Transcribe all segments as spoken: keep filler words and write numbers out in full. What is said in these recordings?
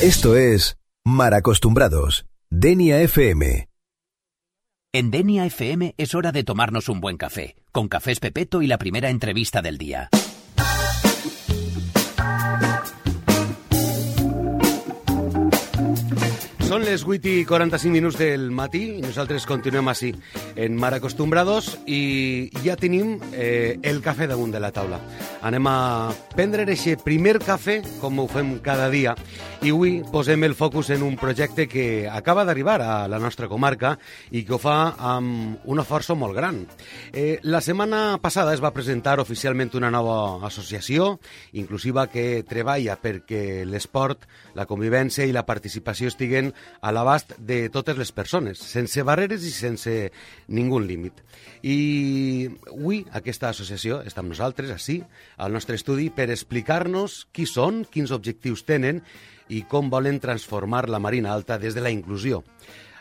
Esto es Mal Acostumbrados, Denia F M. En Denia F M es hora de tomarnos un buen café, con Cafés Pepeto y la primera entrevista del día. Són les vuit i quaranta-cinc minuts del matí i nosaltres continuem així en Mal Acostumbrados i ja tenim eh, el cafè damunt de la taula. Anem a prendre aquest primer cafè com ho fem cada dia i avui posem el focus en un projecte que acaba d'arribar a la nostra comarca i que ho fa amb una força molt gran. Eh, la setmana passada es va presentar oficialment una nova associació inclusiva que treballa perquè l'esport, la convivència i la participació estiguen a l'abast de totes les persones, sense barreres i sense ningú límit. I avui aquesta associació està amb nosaltres, així, al nostre estudi, per explicar-nos qui són, quins objectius tenen i com volen transformar la Marina Alta des de la inclusió.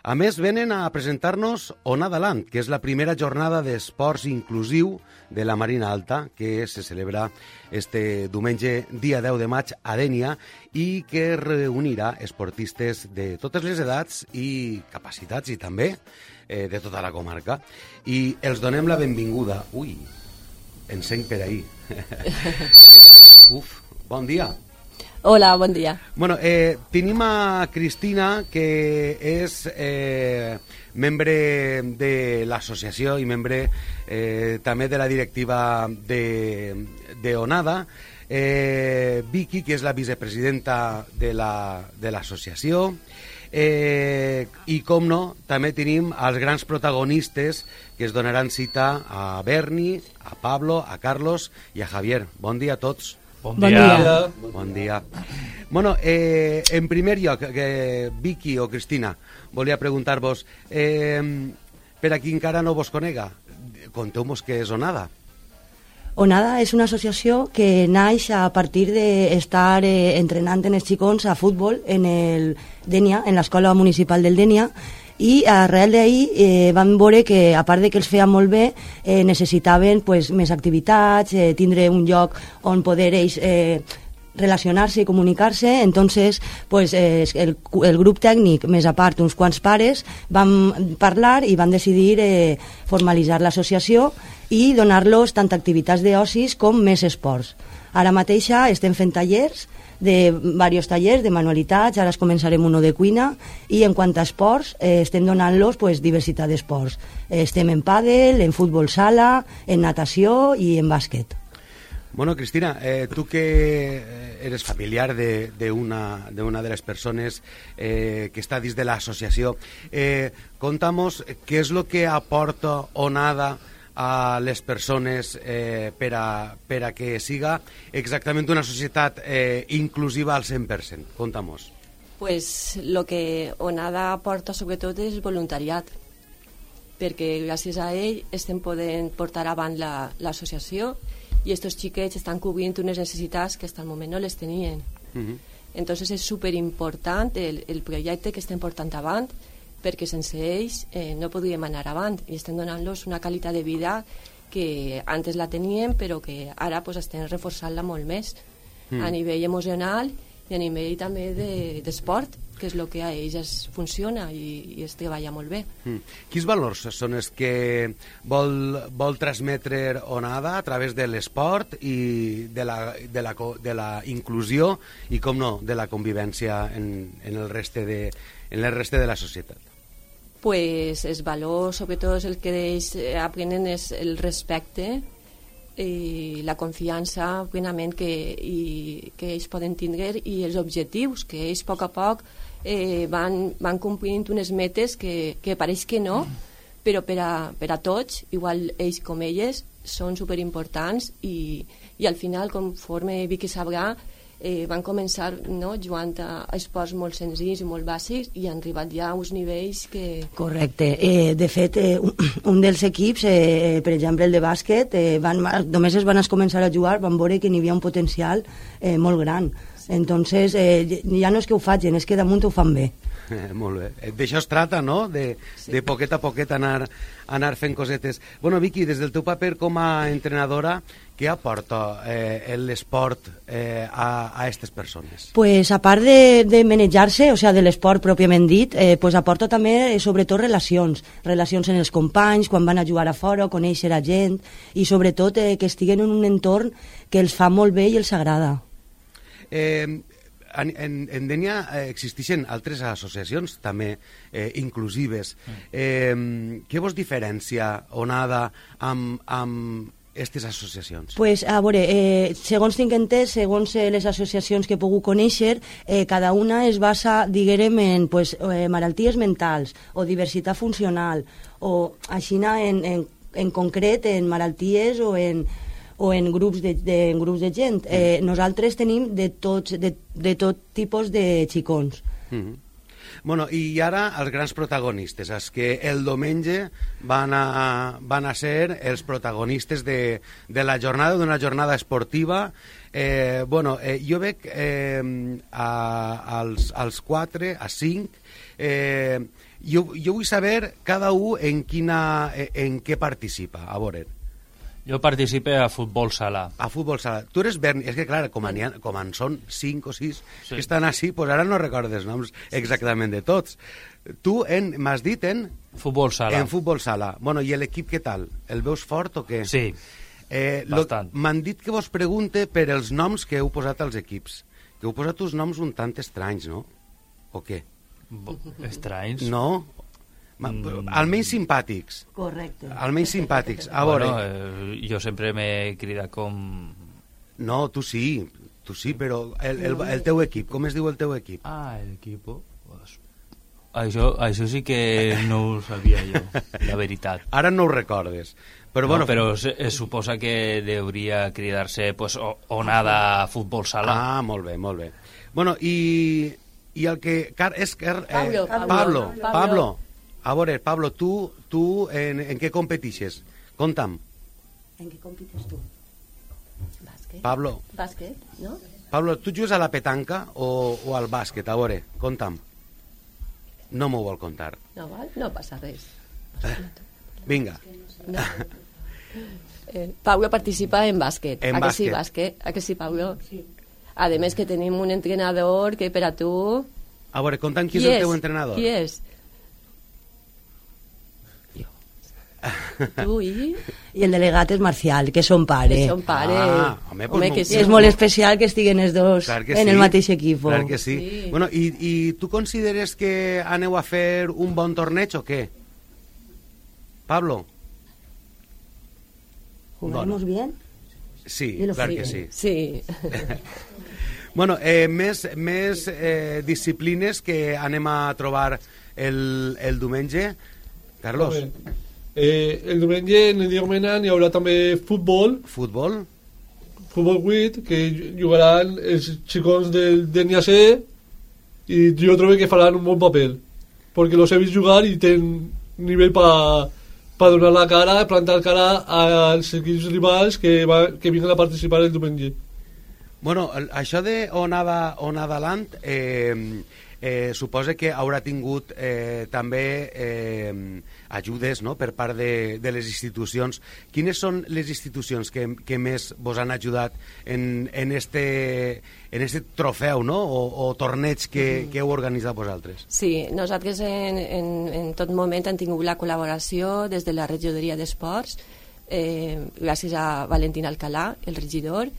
A més, venen a presentar-nos Onada Land, que és la primera jornada d'esports inclusiu de la Marina Alta, que se celebra este diumenge, dia deu de maig, a Denia, i que reunirà esportistes de totes les edats i capacitats, i també eh, de tota la comarca. I els donem la benvinguda. Ui, encenc per ahir. Què tal? Uf, bon dia. Hola, bon dia. Bueno, eh, tenim a Cristina, que és eh, membre de l'associació i membre eh, també de la directiva de, de Onada, eh, Vicky, que és la vicepresidenta de l'associació, la, eh, i, com no, també tenim els grans protagonistes que es donaran cita a Berni, a Pablo, a Carlos i a Javier. Bon dia a tots. Bon dia. Bon dia. Bon dia. Bueno, eh, en primer lloc, eh, Vicky o Cristina, volia preguntar-vos, eh, per a qui encara no vos conega, conteu-nos què és Onada. Onada és una associació que naix a partir d'estar eh, entrenant en els xicons a futbol en el Denia, en l'escola municipal del Denia, i arrel d'ahir eh, vam veure que, a part de que els feia molt bé, eh, necessitaven pues, més activitats, eh, tindre un lloc on poder ells eh, relacionar-se i comunicar-se. Entonces, pues, eh, el, el grup tècnic, més a part uns quants pares, vam parlar i van decidir eh, formalitzar l'associació i donar-los tant activitats d'ocis com més esports. Ara mateixa estem fent tallers, de diversos tallers de manualitats, ara es començarem uno de cuina, i en quant a esports eh, estem donant-los pues, diversitat d'esports. Eh, estem en pàdel, en futbol sala, en natació i en bàsquet. Bueno, Cristina, eh, tu que eres familiar d'una de, de, una de les persones eh, que està dins de l'associació, eh, conta'mos què és el que aporta Onada a les persones eh, per, a, per a que siga exactament una societat eh, inclusiva al cent per cent. Conta'mos. Pues lo que Onada aporta sobretot és voluntariat, perquè gràcies a ell estem podent portar avant l'associació la, i estos xiquets estan cobrint unes necessitats que fins al moment no les tenien. Uh-huh. Entonces és superimportant el, el projecte que estem portant avant, perquè sense ells eh, no podríem anar avant i estem donant-los una qualitat de vida que antes la teníem però que ara pues, estem reforçant-la molt més mm. a nivell emocional i a nivell també d'esport, de, que és el que a ells es funciona i, i es treballa molt bé. Mm. Quins valors són els que vol, vol transmetre Onada a través de l'esport i de la, de, la, de la inclusió i, com no, de la convivència en, en el reste de, en el reste de la societat? Pues els valors, sobretot el que ells aprenen és el respecte i la confiança plenament que, i, que ells poden tindre i els objectius, que ells a poc a poc eh, van, van complint unes metes que, que pareix que no, però per a, per a tots, igual ells com elles, són superimportants i, i al final, conforme Vicky sabrà, Eh, van començar no, jugant a esports molt senzills i molt bàsics i han arribat ja a uns nivells que... Correcte. Eh, de fet, eh, un, un dels equips, eh, per exemple el de bàsquet, eh, van, només es van començar a jugar, van veure que n'hi havia un potencial eh, molt gran. Entonces, eh, ja no és que ho facin, és que damunt ho fan bé. Eh, molt bé. D'això es trata, no?, de, sí. de poquet a poquet anar, anar fent cosetes. Bueno, Vicky, des del teu paper com a entrenadora, què aporta eh, l'esport eh, a, a aquestes persones? Pues a part de, de manejar-se, o sea, de l'esport pròpiament dit, eh, pues aporta també, eh, sobretot, relacions. Relacions en els companys, quan van a jugar a fora, conèixer a gent, i sobretot eh, que estiguen en un entorn que els fa molt bé i els agrada. Eh, en, en, en Dénia eh, existeixen altres associacions també eh, inclusives. Eh, què vos diferencia Onada amb, amb aquestes associacions? Pues, a veure, eh, segons tinc entès, segons eh, les associacions que he pogut conèixer, eh, cada una es basa, diguem, en pues, eh, malalties mentals o diversitat funcional o així en, en, en concret en malalties o en o en grups de, de, en grups de gent. Eh, nosaltres tenim de, tots, de, de tot tipus de xicons. Mm-hmm. Bueno, i ara els grans protagonistes, els que el diumenge van a, van a ser els protagonistes de, de la jornada, d'una jornada esportiva. Eh, bueno, eh, jo veig eh, a, als, als quatre, a cinc, eh, jo, jo vull saber cada un en, quina, en què participa, a veure. Jo participe a futbol sala. A futbol sala. Tu eres Berni, és que clar, com, ha, com en són cinc o sis sí. que estan així, pues ara no recordes els noms exactament de tots. Tu m'has dit en... Futbol sala. En futbol sala. Bueno, i l'equip què tal? El veus fort o què? Sí, eh, bastant. M'han dit que vos pregunte per els noms que heu posat als equips. Que heu posat uns noms un tant estranys, no? O què? Estranys? No? Mm. Almenys simpàtics. Correcte. Almenys simpàtics. A veure... Bueno, eh, jo sempre m'he cridat com... No, tu sí, tu sí, però el, el, el teu equip, com es diu el teu equip? Ah, el equip... Pues... Això, això sí que no ho sabia jo, la veritat. Ara no ho recordes. Però, no, bueno, però se, es suposa que hauria cridar-se pues, Onada Futbol Sala. Ah, molt bé, molt bé. Bueno, i, i el que... Car, és, eh, Pablo, Pablo, Pablo. Pablo. A veure, Pablo, tu, tu en, en què competixes? Conta'm. En què compites tu? Bàsquet. Pablo. Bàsquet, no? Pablo, tu jugues a la petanca o, o al bàsquet? A veure, conta'm. No m'ho vol contar. No val? No passa res. Eh, vinga. No. Eh, Pablo participa en bàsquet. En a que sí, bàsquet. bàsquet? A que sí, Pablo? Sí. A més que tenim un entrenador que per a tu... A veure, conta'm qui, qui és el teu entrenador. Qui és? Tu i... I el delegat és Marcial, que és son pare. Que son pare. Ah, home, pues home, no, que sí. És molt especial que estiguen els dos en sí, el mateix equip. Clar que sí. Sí. Bueno, i, I tu consideres que aneu a fer un bon torneig o què? Pablo? ¿Jugamos bien? Sí, Dilo clar sí. que sí. Sí. Bueno, eh, més, més eh, disciplines que anem a trobar el, el diumenge. Carlos? Eh, el diumenge en el dia Mena hi haurà també futbol. Futbol? Futbol vuit, que jugaran els xicons del D N A C i jo trobo que faran un bon paper perquè los he vist jugar i tenen nivell per pa donar la cara, plantar cara als equips rivals que, va, que vinguen a participar el diumenge. Bueno, això de Onada, Onada Land eh, eh, suposa que haurà tingut eh, també eh, ajudes, no?, per part de, de les institucions. Quines són les institucions que, que més vos han ajudat en, en, este, en este trofeu, no?, o, o torneig que, que heu organitzat vosaltres? Sí, nosaltres en, en, en tot moment hem tingut la col·laboració des de la regidoria d'esports, eh, gràcies a Valentín Alcalà, el regidor,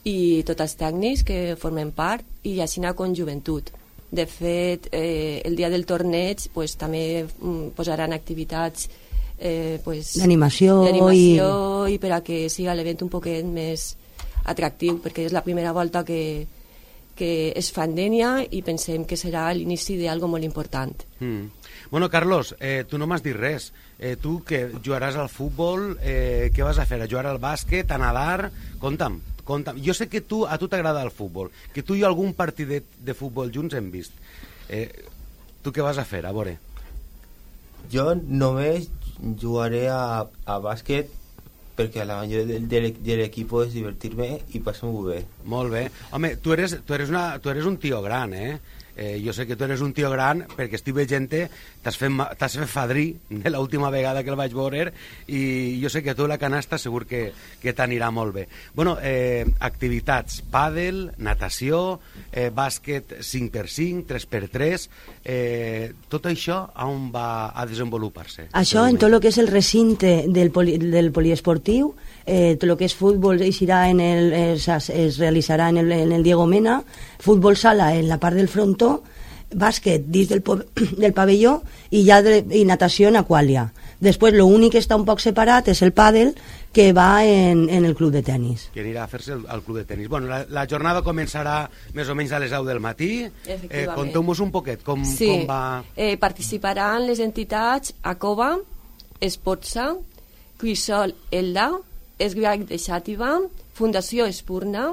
i tots els tècnics que formen part, i així anar con joventut. De fet, eh, el dia del torneig pues, també mm, posaran activitats eh, pues, d'animació i... i per a que siga l'event un poquet més atractiu, perquè és la primera volta que, que es fa en Dénia i pensem que serà l'inici d'algo molt important. Mm. Bueno, Carlos, eh, tu no m'has dit res. Eh, tu que jugaràs al futbol, eh, què vas a fer? A jugar al bàsquet, a nedar? Conta'm. Conta'm. Jo sé que tu, a tu t'agrada el futbol, que tu i algun partidet de futbol junts hem vist. Eh, tu què vas a fer? A veure. Jo només jugaré a, a bàsquet perquè la majoria de, de, de l'equip és divertir-me i passar-m'ho bé. Molt bé. Home, tu eres, tu eres, una, tu eres un tio gran, eh? Eh, jo sé que tu eres un tio gran perquè estic veient t'has fet, t'has fet fadrí de l'última vegada que el vaig veure i jo sé que tu la canasta segur que, que t'anirà molt bé. Bueno, eh, activitats, pàdel, natació, eh, bàsquet cinc per cinc, tres per tres, eh, tot això on va a desenvolupar-se? Això en tot el que és el recinte del, poli, del poliesportiu, eh, tot el que és futbol eixirà en el, es, es realitzarà en el, en el Diego Mena, futbol sala en la part del frontó, bàsquet dins del, del pavelló i, ja de, i natació en aquàlia. Després l'únic que està un poc separat és el pàdel, que va en, en el club de tennis. Que anirà a fer-se al club de tennis. Bueno, la, la jornada començarà més o menys a les deu del matí. Eh, Conteu-nos un poquet com, sí. com va... Eh, participaran les entitats ACOBA, Espotsa, Crisol Elda, Esgrac de Xàtiva, Fundació Espurna,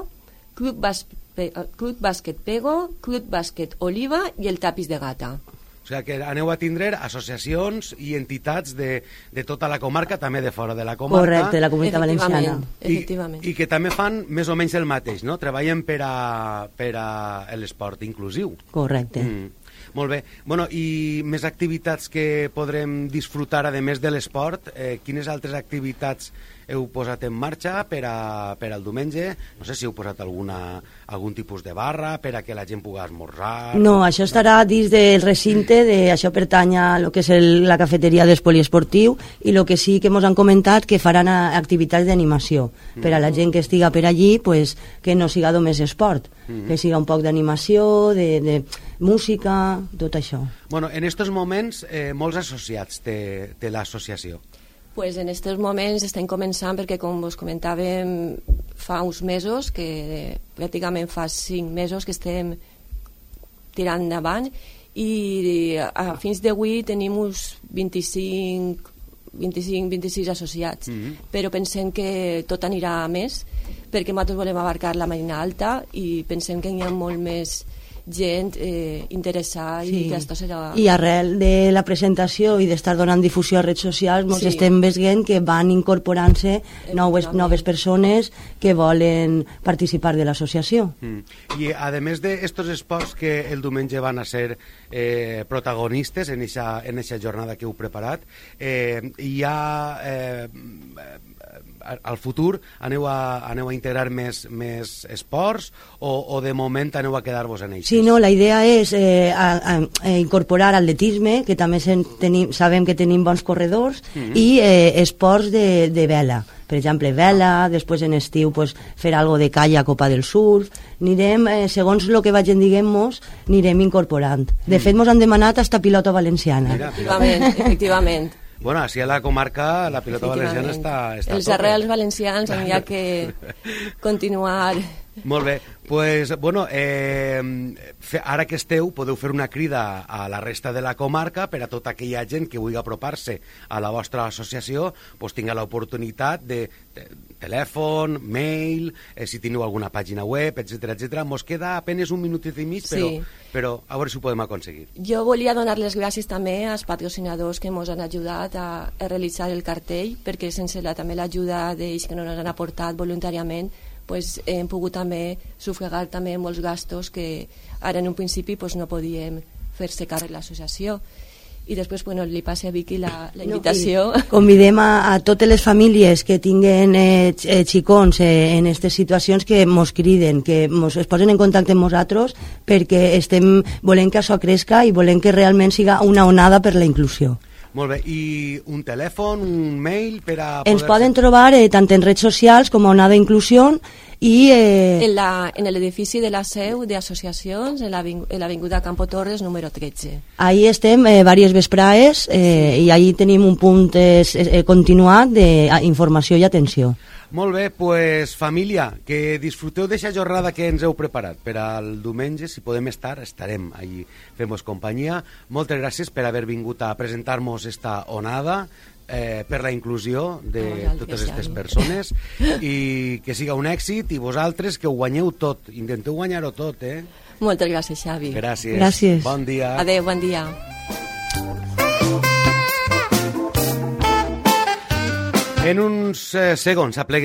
Club Bàsquet Club Bàsquet Pego, Club Bàsquet Oliva i el Tapis de Gata. O sigui que aneu a tindre associacions i entitats de, de tota la comarca, també de fora de la comarca. Correcte, de la Comunitat Valenciana. Efectivament. I, I que també fan més o menys el mateix, no? Treballen per a, per a l'esport inclusiu. Correcte. Mm. Molt bé. Bueno, i més activitats que podrem disfrutar, a més de l'esport, eh, quines altres activitats heu posat en marxa per, a, per al diumenge? No sé si heu posat alguna, algun tipus de barra per a que la gent pugui esmorzar... No, això estarà dins del recinte, de, això pertany a lo que és el, la cafeteria del poliesportiu, i el que sí que ens han comentat que faran activitats d'animació, mm. per a la gent que estiga per allí, pues, que no siga només esport, mm. que siga un poc d'animació, de, de música, tot això. Bueno, en estos moments, eh, molts associats té, té l'associació. Pues en aquests moments estem començant perquè, com vos comentàvem, fa uns mesos, que pràcticament fa cinc mesos que estem tirant endavant, i a fins d'avui tenim uns vint-i-cinc, vint-i-cinc, vint-i-sis associats, mm-hmm. però pensem que tot anirà a més, perquè nosaltres volem abarcar la Marina Alta i pensem que hi ha molt més gent eh, interessada, sí. I que esto serà... I arrel de la presentació i d'estar donant difusió a redes socials, ens sí. estem veient que van incorporant-se noves, noves persones que volen participar de l'associació. Mm. I a més d'estos esports que el diumenge van a ser eh, protagonistes en eixa, en eixa jornada que heu preparat, eh, hi ha... Eh, al futur aneu a, aneu a integrar més, més esports o, o de moment aneu a quedar-vos en ells? Sí, no, la idea és eh, a, a, a incorporar atletisme, que també sen, tenim, sabem que tenim bons corredors, mm-hmm. i eh, esports de, de vela. Per exemple, vela, després en estiu pues, fer algo de calla, copa del surf. Anirem, eh, segons el que vagin diguem-nos, anirem incorporant. De fet, ens han demanat hasta pilota valenciana. Mira, efectivament, efectivament. Bueno, així a la comarca la pilota valenciana està, està els arrels valencians han ja que continuar. Molt bé, pues, bueno, eh, ara que esteu podeu fer una crida a la resta de la comarca per a tota aquella gent que vulgui apropar-se a la vostra associació, pues, tinga l'oportunitat de, de telèfon, mail, eh, si teniu alguna pàgina web, etcètera, etcètera. Mos queda apenas un minutet i mig, però, sí. però a veure si ho podem aconseguir. Jo volia donar les gràcies també als patrocinadors que ens han ajudat a, a realitzar el cartell, perquè sense la, també l'ajuda d'ells que no ens han aportat voluntàriament, pues, hem pogut també sufragar també molts gastos que ara en un principi pues, no podíem fer-se càrrec l'associació. I després, bueno, li passe a Vicky la, la invitació. No, convidem a, a totes les famílies que tinguen eh, xicons eh, en aquestes situacions que mos criden, que mos, es posen en contacte amb nosaltres, perquè estem volent que això cresca i volem que realment siga una onada per la inclusió. Molt bé, i un telèfon, un mail per a... Ens poden trobar eh, tant en redes socials com a Onada Inclusió i... Eh... En, la, en l'edifici de la seu d'associacions, en l'avinguda Campo Torres, número tretze. Ahí estem eh, diverses vesprades eh, sí. I ahí tenim un punt eh, eh, continuat d'informació i atenció. Molt bé, pues, família, que disfruteu d'aquesta jornada que ens heu preparat. Per al diumenge, si podem estar, estarem allí fent-vos companyia. Moltes gràcies per haver vingut a presentar-nos esta onada, eh, per la inclusió de oh, totes aquestes persones, i que siga un èxit, i vosaltres que ho guanyeu tot. Intenteu guanyar-ho tot, eh? Moltes gràcies, Xavi. Gràcies. Gràcies. Bon dia. Adéu, bon dia. En uns eh, segons apleguem